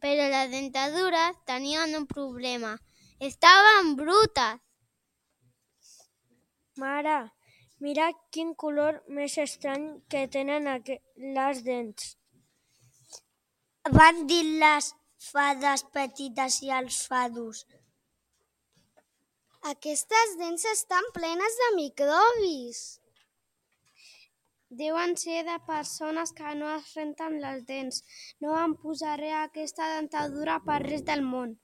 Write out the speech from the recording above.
però les dentadures tenien un problema. Estaven brutes. Mare, mira quin color més estrany que tenen les dents. Van dir les fades petites i els fados. Aquestes dents estan plenes de microbis. Deuen ser de persones que no es renten les dents. No em posaré aquesta dentadura per res del món.